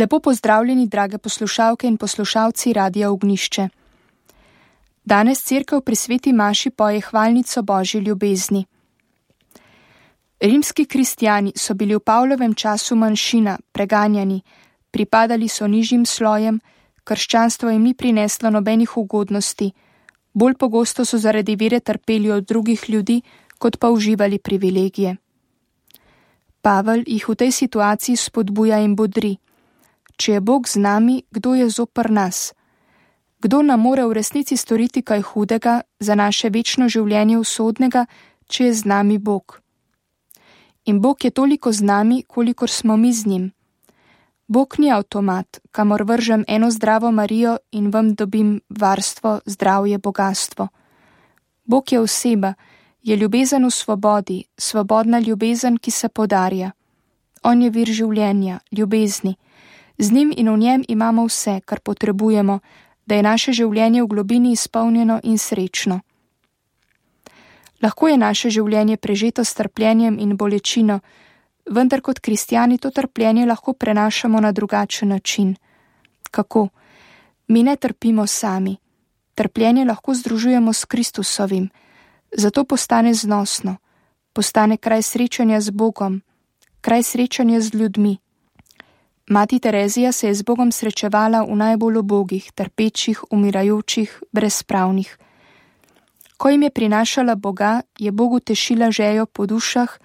Lepo pozdravljeni, drage poslušalke in poslušalci Radia Ognjišče. Danes cerkev pri sveti maši poje hvalnico Božji ljubezni. Rimski kristjani so bili v Pavlovem času manjšina, preganjani, pripadali so nižjim slojem, krščanstvo jim ni prineslo nobenih ugodnosti, bolj pogosto so zaradi vere trpeli od drugih ljudi, kot pa uživali privilegije. Pavel jih v tej situaciji spodbuja in bodri. Če je Bog z nami, kdo je zoper nas? Kdo nam more v resnici storiti kaj hudega za naše večno življenje usodnega, če je z nami Bog? In Bog je toliko z nami, kolikor smo mi z njim. Bog ni avtomat, kamor vržem eno zdravo Marijo in vam dobim varstvo, zdravje, bogastvo. Bog je oseba, je ljubezen v svobodi, svobodna ljubezen, ki se podarja. On je vir življenja, ljubezni. Z njim in v njem imamo vse, kar potrebujemo, da je naše življenje v globini izpolnjeno in srečno. Lahko je naše življenje prežeto s trpljenjem in bolečino, vendar kot kristjani to trpljenje lahko prenašamo na drugačen način. Kako? Mi ne trpimo sami. Trpljenje lahko združujemo s Kristusovim, zato postane znosno, postane kraj srečanja z Bogom, kraj srečanja z ljudmi. Mati Terezija se je z Bogom srečevala v najbolj ubogih, trpečih, umirajočih, brezpravnih. Ko jim je prinašala Boga, je Bogu tešila željo po dušah,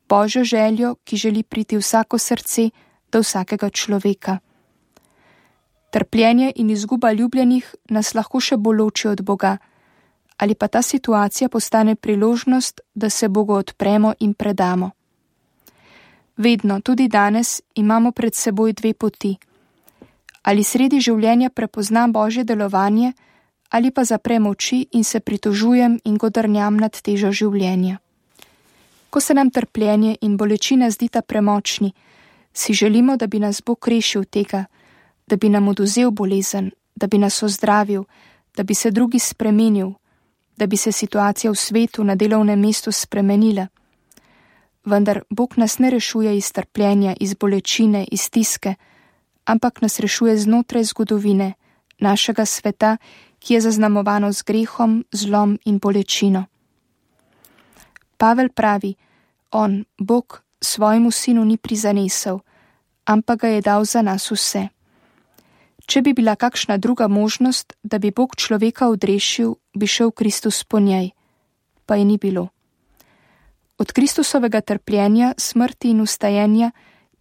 Božjo željo, ki želi priti vsako srce do vsakega človeka. Trpljenje in izguba ljubljenih nas lahko še bolj loči od Boga, ali pa ta situacija postane priložnost, da se Bogu odpremo in predamo. Vedno, tudi danes, imamo pred seboj dve poti. Ali sredi življenja prepoznam Božje delovanje, ali pa zaprem oči in se pritožujem in godrnjam nad težo življenja. Ko se nam trpljenje in bolečina zdita premočni, si želimo, da bi nas Bog rešil tega, da bi nam oduzel bolezen, da bi nas ozdravil, da bi se drugi spremenil, da bi se situacija v svetu na delovnem mestu spremenila. Vendar Bog nas ne rešuje iz trpljenja, iz bolečine, iz stiske, ampak nas rešuje znotraj zgodovine, našega sveta, ki je zaznamovano z grehom, zlom in bolečino. Pavel pravi, on, Bog, svojemu sinu ni prizanesel, ampak ga je dal za nas vse. Če bi bila kakšna druga možnost, da bi Bog človeka odrešil, bi šel Kristus po njej, pa je ni bilo. Od Kristusovega trpljenja, smrti in vstajenja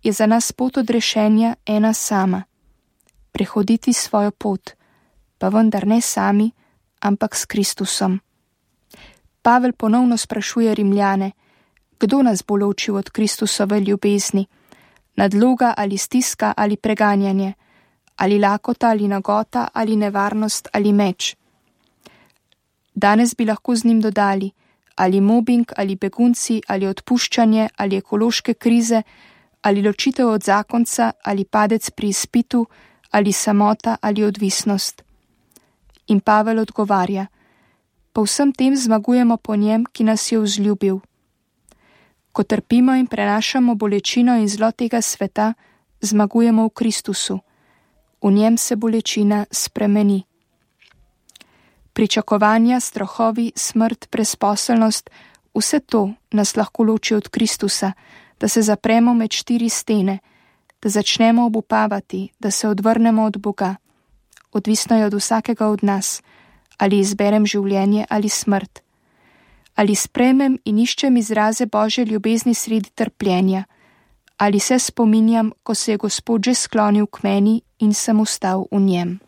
je za nas pot odrešenja ena sama. Prehoditi svojo pot, pa vendar ne sami, ampak s Kristusom. Pavel ponovno sprašuje Rimljane, kdo nas bo ločil od Kristusove ljubezni, nadloga ali stiska ali preganjanje, ali lakota ali nagota ali nevarnost ali meč. Danes bi lahko z njim dodali, ali mobing, ali begunci, ali odpuščanje, ali ekološke krize, ali ločitev od zakonca, ali padec pri izpitu, ali samota, ali odvisnost. In Pavel odgovarja, po vsem tem zmagujemo po njem, ki nas je vzljubil. Ko trpimo in prenašamo bolečino in zlo tega sveta, zmagujemo v Kristusu. V njem se bolečina spremeni. Pričakovanja, strahovi, smrt, brezposelnost, vse to nas lahko loči od Kristusa, da se zapremo med štiri stene, da začnemo obupavati, da se odvrnemo od Boga. Odvisno je od vsakega od nas, ali izberem življenje ali smrt. Ali sprejmem in iščem izraze Božje ljubezni sredi trpljenja, ali se spominjam, ko se je Gospod že sklonil k meni in sem ostal v njem.